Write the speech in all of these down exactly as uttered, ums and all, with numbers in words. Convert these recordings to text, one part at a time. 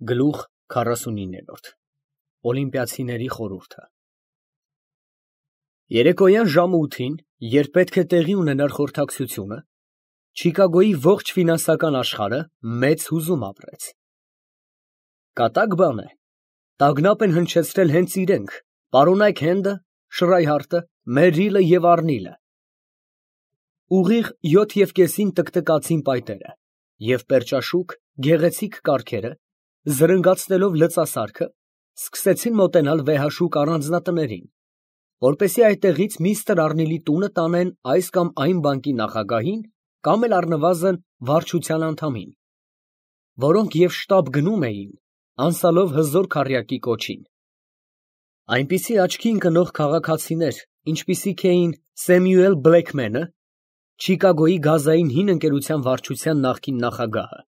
Գլուխ քառասունիններորդ Օլիմպիացիների խորհուրդը Երեկոյան ժամը ութին, երբ պետք է տեղի ունենար խորհրդակցությունը, Չիկագոյի ողջ ֆինանսական աշխարհը մեծ հուզում ապրեց։ Կատակ բան է, տագնապ են հնչեցրել հենց իրենք, պարոնայք Հենդը, Շրայհարտը, Մերրիլը և Առնիլը։ Ուղիղ յոթ և կեսին տկտկացին պայտերը, և պերճաշուք, գեղեցիկ կառքերը, զրնգացնելով լծասարքը, սկսեցին մոտենալ վեհաշուկ առանձնատներին, որպեսզի այդտեղից միստր Առնիլի տունը տանեն այս կամ այն բանկի նախագահին կամ էլ առնվազն վարչության անդամին, որոնք և շտապ գնում էին, անցյալով հզոր քառյակի կոչին։ Այնպիսի աչքի ընկնող քաղաքացիներ, ինչպիսիք էին Սեմյուել Բլեքմենը, Չիկագոյի գազային հին ընկերության վարչության նախկին նախագահը,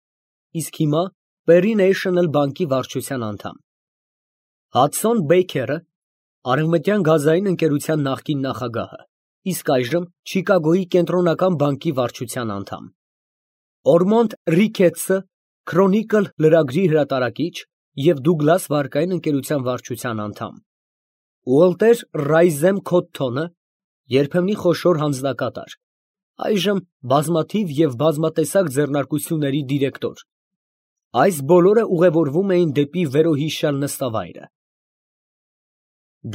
իսկ հիմա Պերի Նեյշնլ բանկի վարչության անդամ, Հադսոն Բեյքերը, արևմտյան գազային ընկերության նախկին նախագահը, իսկ այժմ Չիկագոյի կենտրոնական բանկի վարչության անդամ, Օրմոնդ Ռիքեթսը, Քրոնիկլ լրագրի հրատարակիչ և Դուգլաս վարկային ընկերության վարչության անդամ, Ուոլտեր Ռայզեմ Քոթթոնը, երբեմնի խոշոր հանձնակատար, այժմ բազմաթիվ և բազմատեսակ ձեռնարկությունների դիրեկտոր, այս բոլորը ուղևորվում էին դեպի վերոհիշյալ նստավայրը։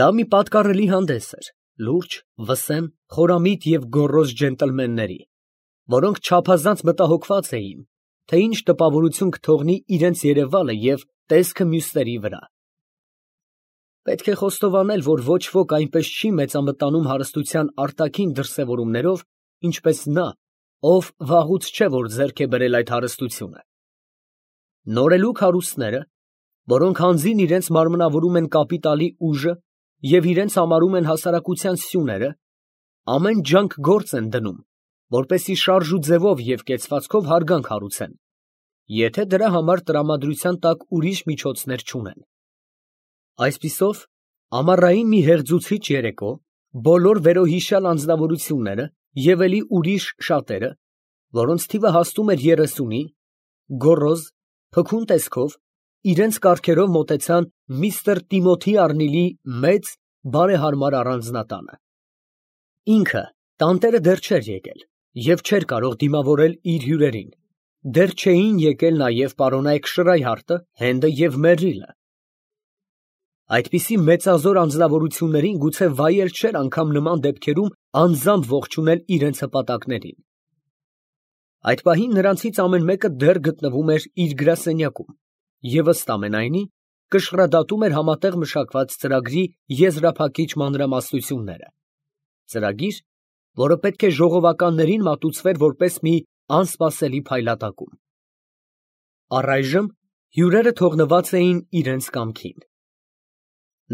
Դա մի պատկառելի հանդես էր լուրջ, վսեմ, խորամիտ և գոռոզ ջենտլմենների, որոնք չափազանց մտահոգված էին, թե ինչ տպավորություն կթողնի իրենց երևալը և տեսքը մյուսների վրա։ Պետք է խոստովանել, որ ոչ ոք այնպես չի մեծամտանում հարստության արտաքին դրսևորումներով, ինչպես նա, ով վաղուց չէ, որ ձեռք է բերել այդ հարստությունը։ Նորելուկ հարուստները, որոնք հանձին իրենց մարմնավորում են կապիտալի ուժը և իրենց համարում են հասարակության սյուները, ամեն ջանք գործ են դնում, որպեսզի շարժու ձևով և կեցվածքով հարգանք հարուցեն, եթե դրա համար տրամադրության տակ ուրիշ միջոցներ չունեն։ Այսպիսով, ամառային մի հեղձուցիչ երեկո, բոլոր վերոհիշյալ անձնավորությունները և էլի ուրիշ շատերը, որոնց թիվը հասնում էր երեսունի, գոռոզ, փքուն տեսքով, իրենց կառքերով մոտեցան միստր Տիմոթի Առնիլի մեծ, բարեհարմար առանձնատանը։ Ինքը տանտերը դեռ չէր եկել և չէր կարող դիմավորել իր հյուրերին, դեռ չէին եկել նաև պարոնայք Շրայհարտը, Հենդը և Մերրիլը։ Այդպիսի մեծազոր անձնավորություններին գուցե վայել չէր անգամ նման դեպքերում անձամբ ողջունել իրենց հպատակներին։ Այդ պահին նրանցից ամեն մեկը դեռ գտնվում էր իր գրասենյակում և ըստ ամենայնի կշռադատում էր համատեղ մշակված ծրագրի եզրափակիչ մանրամասնությունները, ծրագիր, որը պետք է ժողովականներին մատուցվեր որպես մի անսպասելի փայլատակում։ Առայժմ հյուրերը թողնված էին իրենց կամքին։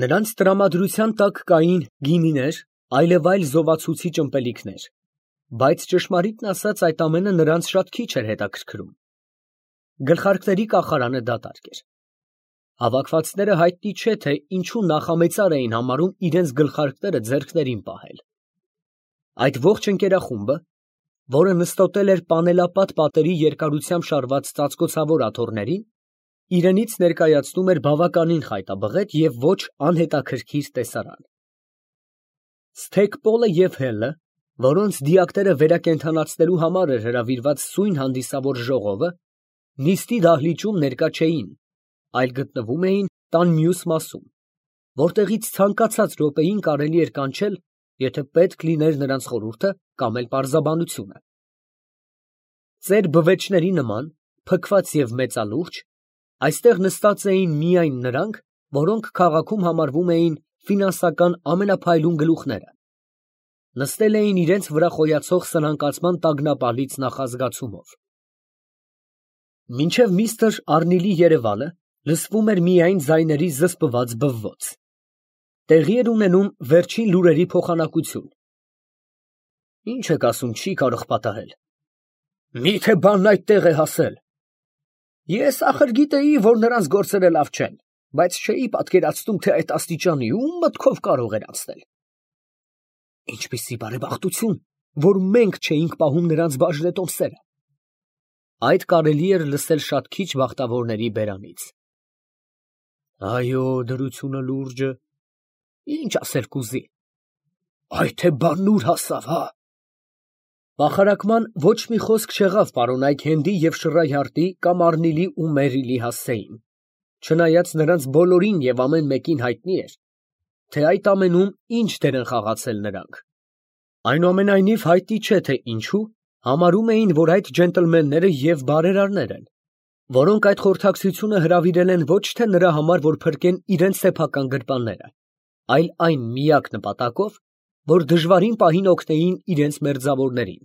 Նրանց տրամադրության տակ կային գինիներ, այլևայլ զովացուցիչ ըմպելիքներ, բայց ճշմարիտն ասած այդ ամենը նրանց շատ քիչ էր հետաքրքրում։ Գլխարկների կախարանը դատարկ էր։ Հավաքվածները հայտնի չէ, թե ինչու նախամեծար էին համարում իրենց գլխարկները ձեռքներին պահել։ Այդ ողջ ընկերախումբը, որը նստոտել էր պանելապատ պատերի երկարությամբ շարված ծածկոցավոր աթոռներին, իրենից ներկայացնում էր բավականին խայտաբղետ և ոչ անհետաքրքիր տեսարան։ Սթեքպոլը և Հելը, որոնց դիակները վերակենդանացնելու համար էր հրավիրված սույն հանդիսավոր ժողովը, նիստի դահլիճում ներկա չէին, այլ գտնվում էին տան մյուս մասում, որտեղից ցանկացած րոպեին կարելի էր կանչել, եթե պետք լիներ նրանց խորհուրդը կամ էլ պարզաբանությունը։ Ծեր բվեճների նման, փքված և մեծալուրջ, այստեղ նստած էին միայն նրանք, որոնք քաղաքում համարվում էին ֆինանսական ամենափայլուն գլուխները, նստել էին իրենց վրա խոյացող սնանկացման տագնապալից նախազգացումով։ Մինչև միստր Առնիլի երևալը լսվում էր միայն ձայների զսպված բվոց։ Տեղի էր ունենում վերջին լուրերի փոխանակություն։ Ի՞նչ եք ասում, չի կարող պատահել։ Մի՞թե բանն այդտեղ է հասել։ Ես ախր գիտեի, որ նրանց գործերը լավ չեն, բայց չէի պատկերացնում, թե այդ աստիճանի ո՞ւմ մտքով կարող էր անցնել։ Ինչպիսի բարեբախտություն, որ մենք չէինք պահում նրանց բաժնետոմսերը։ Այդ կարելի էր լսել շատ քիչ բախտավորների բերանից։ Այո, դրությունը լուրջը, ինչ ասել կուզի, այ թե բանն ուր հասավ, հա։ Բախարակման ոչ մի խոսք չեղավ պարոն Այքհենդի և Շռայհարտի կամ Առնիլի ու Մերիլի հասցեին, չնայած նրանց բոլորին և ամեն մեկին հայտնի էր, թե այդ ամենում ինչ դեր են խաղացել նրանք. այնուամենայնիվ հայտնի չէ, թե ինչու համարում էին, որ այդ ջենտլմենները և բարերարներ են, որոնք այդ խորհրդակցությունը հրավիրել են ոչ թե նրա համար, որ փրկեն իրենց սեփական գրպանները, այլ այն միակ նպատակով, որ դժվարին պահին օգնեին իրենց մերձավորներին։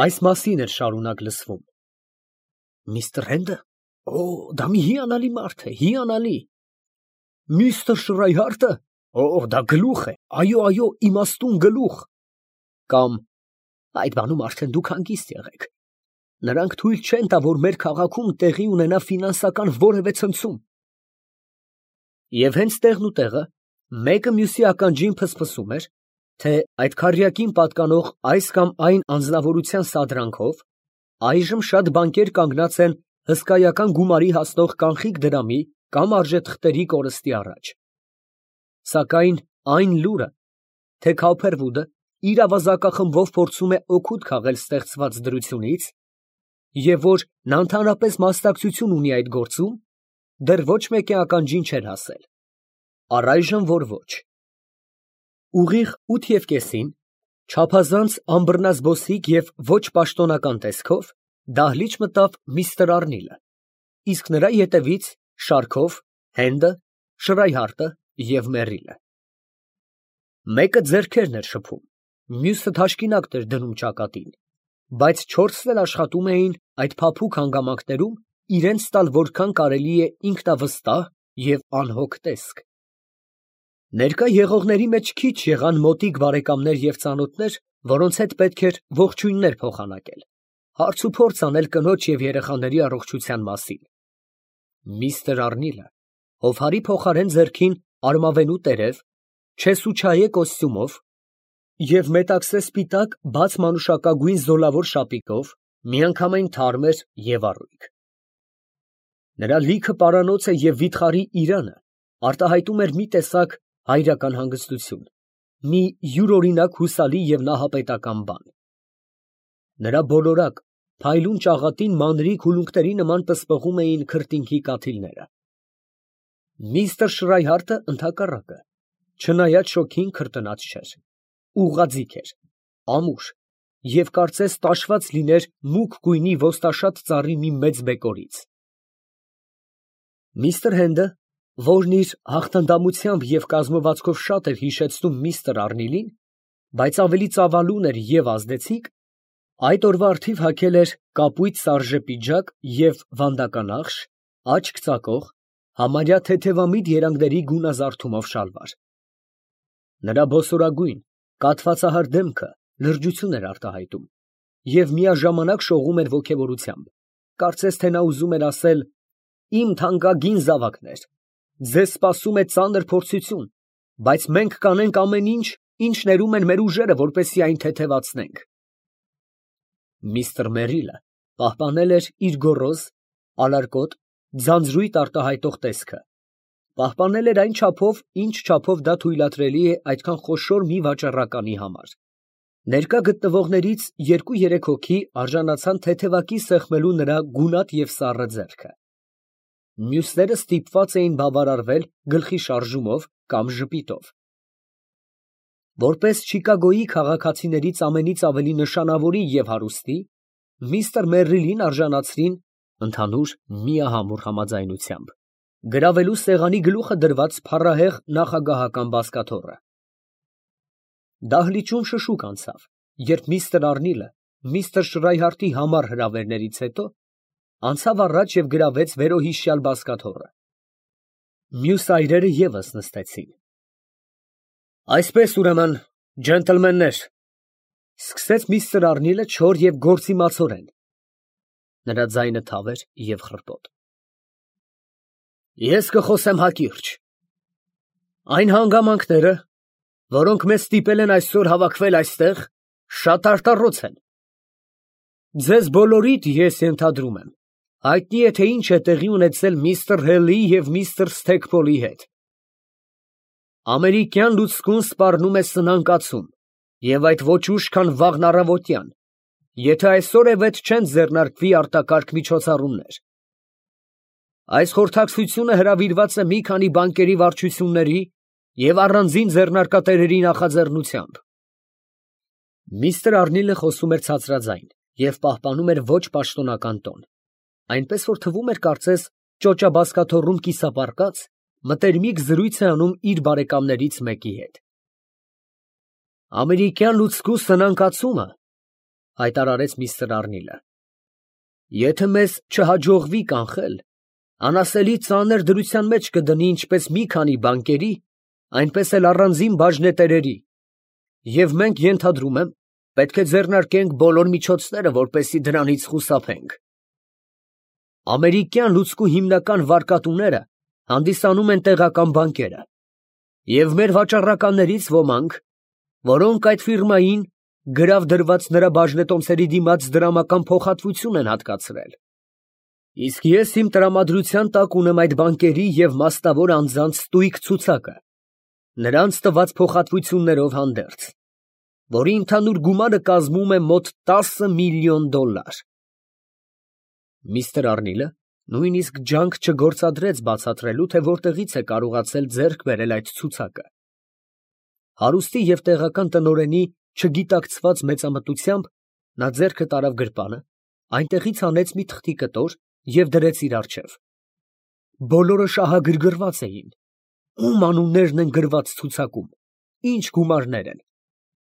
Այս մասին էր շարունակ լսվում. Միստր Հենդը, օ, դա մի հիանալի մարդ է, հիանալի։ Միստր Շռայհարտը, օ, դա գլուխ է, այո, այո, իմաստուն գլուխ։ Կամ այդ բանում արդեն դուք հանգիստ եղեք։ Նրանք թույլ չեն տա, որ մեր քաղաքում տեղի ունենա ֆինանսական որևէ ցնցում։ Եվ հենց տեղն ու տեղը մեկը մյուսի ականջին փսփսում էր, թե այդ քառյակին պատկանող այս կամ այն անձնավորության սադրանքով այժմ շատ բանկեր կանգնած են հսկայական գումարի հասնող կանխիկ դրամի կամ արժեթղթերի կորստի առաջ։ Սակայն այն լուրը, թե Քոփերվուդը իր ավազակախմբով փորձում է օգուտ քաղել ստեղծված դրությունից, և որ նա ընդհանրապես մասնակցություն ունի այդ գործում, դեռ ոչ մեկի ականջին չէր հասել։ Առայժմ որ ոչ։ Ուղիղ ութ և կեսին, չափազանց անբռնազբոսիկ և ոչ պաշտոնական տեսքով, դահլիճ մտավ միստր Առնիլը, իսկ նրա ետևից շարքով Հենդը, Շռայհարտը և Մերիլը։ Մեկը ձեռքերն էր շփում, մյուսը թաշկինակն էր դնում ճակատին, բայց չորսն էլ աշխատում էին այդ փափուկ հանգամանքներում իրենց տալ որքան կարելի է ինքնավստահ և անհոգ տեսք։ Ներկա եղողների մեջ քիչ եղան մոտիկ բարեկամներ և ծանոթներ, որոնց հետ պետք էր ողջույններ փոխանակել, հարցուփորձ անել կնոջ և երեխաների առողջության մասին։ Միստր Առնիլը հովհարի փոխարեն ձեռքին արմավենու տերև, չեսուչայե կոստյումով և մետաքսե սպիտակ բաց մանուշակագույն զոլավոր շապիկով միանգամայն թարմ էր և առույգ։ Նրա լիքը պարանոցը և վիթխարի իրանը արտահայտում էր մի տեսակ հայրական հանգստություն, մի յուրօրինակ հուսալի և նահապետական բան։ Նրա բոլորակ, փայլուն ճաղատին մանրիկ ուլունքների նման պսպղում էին քրտինքի կաթիլները։ Միստր Շռայհարտը, ընդհակառակը, չնայած շոգին քրտնած չէր, ուղղաձիգ էր, ամուր և կարծես տաշված լիներ մուգ գույնի ոստաշատ ծառի մի մեծ բեկորից։ Միստր Հենդը, որն իր հաղթանդամությամբ և կազմվածքով շատ էր հիշեցնում միստր Առնիլին, բայց ավելի ծավալուն էր և ազդեցիկ, այդ օրվա առթիվ հագել էր կապույտ սարժե պիջակ և վանդականախշ, աչք ծակող, համարյա թեթևամիտ երանգների գունազարդումով շալվար։ Նրա բոսորագույն, կաթվածահար դեմքը լրջություն էր արտահայտում և միաժամանակ շողում էր ոգևորությամբ, կարծես թե նա ուզում էր ասել. «Իմ թանկագին զավակներ, ձեզ սպասում է ծանր փորձություն, բայց մենք կանենք ամեն ինչ, ինչ ներում են մեր ուժերը, որպեսզի այն թեթևացնենք»։ Միստր Մերիլը պահպանել էր իր գոռոզ, ալարկոտ, ձանձրույթ արտահայտող տեսքը, պահպանել էր այն չափով, ինչ չափով դա թույլատրելի է այդքան խոշոր մի վաճառականի համար։ Ներկա գտնվողներից երկու֊երեք հոգի արժանացան թեթևակի սեղմելու նրա գունատ և սառը ձեռքը։ Մյուսները ստիպված էին բավարարվել գլխի շարժումով կամ ժպիտով։ Որպես Չիկագոյի քաղաքացիներից ամենից ավելի նշանավորի և հարուստի, միստր Մերրիլին արժանացրին ընդհանուր միահամուռ համաձայնությամբ գրավելու սեղանի գլուխը դրված փառահեղ նախագահական բազկաթոռը։ Դահլիճում շշուկ անցավ, երբ միստր Առնիլը միստր Շռայհարտի համառ հրավերներից հետո անցավ առաջ և գրավեց վերոհիշյալ բազկաթոռը։ Մյուս այրերը ևս նստեցին։ Այսպես, ուրեմն, ջենտլմեններ, ֊ սկսեց միստր Առնիլը չոր և գործիմացորեն (նրա ձայնը թավ էր և խռպոտ), ես կխոսեմ հակիրճ. այն հանգամանքները, որոնք մեզ ստիպել են այսօր հավաքվել այստեղ, շատ արտառոց են. ձեզ բոլորիդ, ես ենթադրում եմ, Հայտնի է, թե ինչ է տեղի ունեցել միստր Հելի և միստր Սթեքպոլի հետ։ Ամերիկյան լուցկուն սպառնում է սնանկացում, և այդ ոչ ուշ, քան վաղն առավոտյան, եթե այսօրևեթ չեն ձեռնարկվի արտակարգ միջոցառումներ։ Այս խորհրդակցությունը հրավիրված է մի քանի բանկերի վարչությունների և առանձին ձեռնարկատերերի նախաձեռնությամբ։ Միստր Արնիլը խոսում էր ցածրաձայն և պահպանում էր ոչ պաշտոնական տոն, այնպես որ թվում էր կարծես ճոճաբազկաթոռում կիսապառկած մտերմիկ զրույց է անում իր բարեկամներից մեկի հետ։ Ամերիկյան լուցկու սնանկացումը, հայտարարեց միստր Արնիլը, եթե մեզ չհաջողվի կանխել, անասելի ծանր դրության մեջ կդնի ինչպես մի քանի բանկերի, այնպես էլ առանձին բաժնետերերի, և մենք, ենթադրում եմ, պետք է ձեռնարկենք բոլոր միջոցները, որպեսզի դրանից խուսափենք։ Ամերիկյան լուցկու հիմնական վարկատուները հանդիսանում են տեղական բանկերը, և մեր վաճառականներից ոմանք, որոնք այդ ֆիրմային գրավ դրված նրա բաժնետոմսերի դիմաց դրամական փոխհատվություն են հատկացրել։ Իսկ ես իմ տրամադրության տակ ունեմ այդ բանկերի և մասնավոր անձանց ստույգ ցուցակը, նրանց տված փոխհատվություններով հանդերձ, որի ընդհանուր գումարը կազմում է մոտ տասը միլիոն դոլար։ Միստր Արնիլը նույնիսկ ջանք չգործադրեց բացատրելու, թե որտեղից է կարողացել ձեռք բերել այդ ցուցակը։ Հարուստի և տեղական տնօրենի չգիտակցված մեծամտությամբ նա ձեռքը տարավ գրպանը, այնտեղից հանեց մի թղթի կտոր և դրեց իր առջև։ Բոլորը շահագրգռված էին. ում անուններն են գրված ցուցակում, ինչ գումարներ են։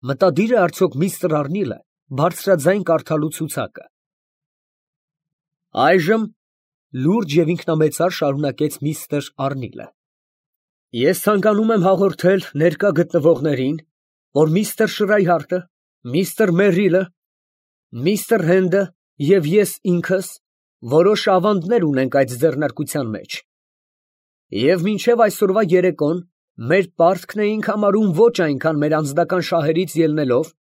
Մտադիր է արդյոք միստր Արնիլը բարձրաձայն կարդալու ցուցակը։ Այժմ, լուրջ և ինքնամեծար շարունակեց միստր Արնիլը, ես ցանկանում եմ հաղորդել ներկա գտնվողներին, որ միստր Շրայհարտը, միստր Մերրիլը, միստր Հենդը և ես ինքս որոշ ավանդներ ունենք այդ ձեռնարկության մեջ, և մինչև այսօրվա երեկոն մեր պարտքն էինք համարում ոչ այնքան մեր անձնական շահերից ելնելով,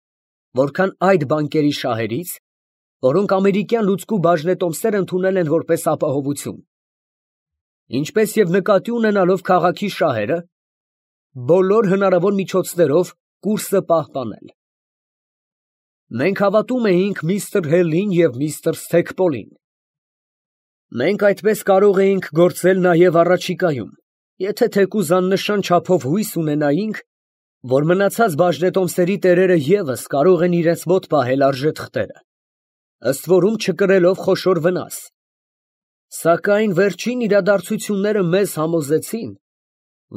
որքան այդ բանկերի շահերից, որոնք ամերիկյան լուցկու բաժնետոմսեր ընդունել են որպես ապահովություն, ինչպես և նկատի ունենալով քաղաքի շահերը, բոլոր հնարավոր միջոցներով կուրսը պահպանել։ Մենք հավատում էինք միստր Հելին և միստր Սթեքպոլին։ Մենք այդպես կարող էինք գործել նաև առաջիկայում, եթե թեկուզ աննշան չափով հույս ունենայինք, որ մնացած բաժնետոմսերի տերերը ևս կարող են իրենց մոտ պահել արժեթղթերը, ըստ որում չկրելով խոշոր վնաս, սակայն վերջին իրադարձությունները մեզ համոզեցին,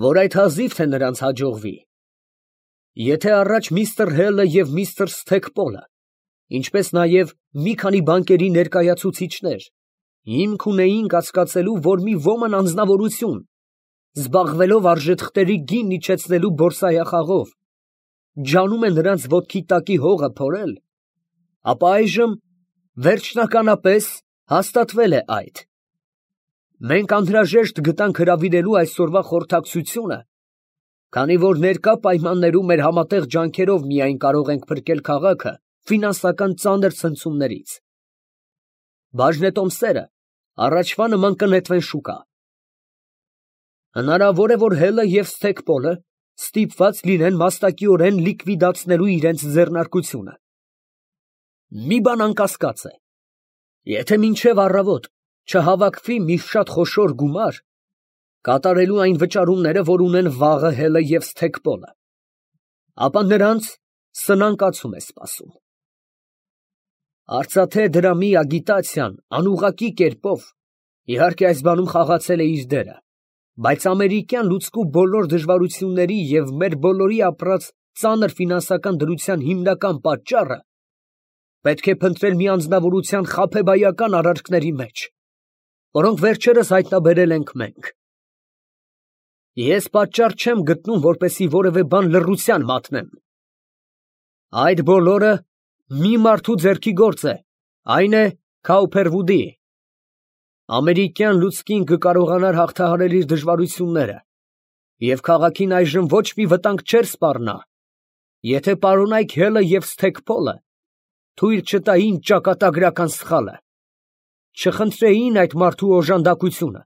որ այդ հազիվ թե նրանց հաջողվի։ Եթե առաջ միստր Հելը և միստր Սթեքպոլը, ինչպես նաև մի քանի բանկերի ներկայացուցիչներ, հիմք ունեին կասկածելու, որ մի ոմն անձնավորություն, զբաղվելով արժեթղթերի գինն իջեցնելու բորսայախաղով, ջանում է նրանց ոտքի տակի հողը փորել, ապա այժմ վերջնականապես հաստատվել է այդ։ Մենք անհրաժեշտ գտանք հրավիրելու այսօրվա խորհրդակցությունը, քանի որ ներկա պայմաններում մեր համատեղ ջանքերով միայն կարող ենք փրկել քաղաքը ֆինանսական ծանր ցնցումներից։ Բաժնետոմսերը առաջվա նման կնետվեն շուկա։ Հնարավոր է, որ Հելը և Սթեքպոլը ստիպված լինեն մասնակիորեն լիկվիդացնելու իրենց ձեռնարկությունը։ Մի բան անկասկած է. եթե մինչև առավոտ չհավաքվի մի շատ խոշոր գումար, կատարելու այն վճարումները, որ ունեն վաղը Հելը և Սթեքպոլը, ապա նրանց սնանկացում է սպասում։ Արծաթե դրամի ագիտացիան անուղղակի կերպով, իհարկե այս բանում խաղացել է իր դերը, բայց ամերիկյան լուցկու բոլոր դժվարությունների և մեր բոլորի ապրած ծանր ֆինանսական դրության հիմնական պատճառը պետք է փնտրել մի անձնավորության խաբեբայական արարքների մեջ, որոնք վերջերս հայտնաբերել ենք մենք։ Ես պատճառ չեմ գտնում, որպեսզի որևէ բան լռության մատնեմ։ Այդ բոլորը մի մարդու ձեռքի գործ է, այն է Քաուփերվուդի։ Ամերիկյան լուցկին կկարողանար հաղթահարել իր դժվարությունները, և քաղաքին այժմ ոչ մի վտանգ չէր սպառնա, եթե պարոնայք Հելը և Սթեքպոլը թույլ չտային ճակատագրական սխալը։ չխնդրեին այդ մարդու օժանդակությունը։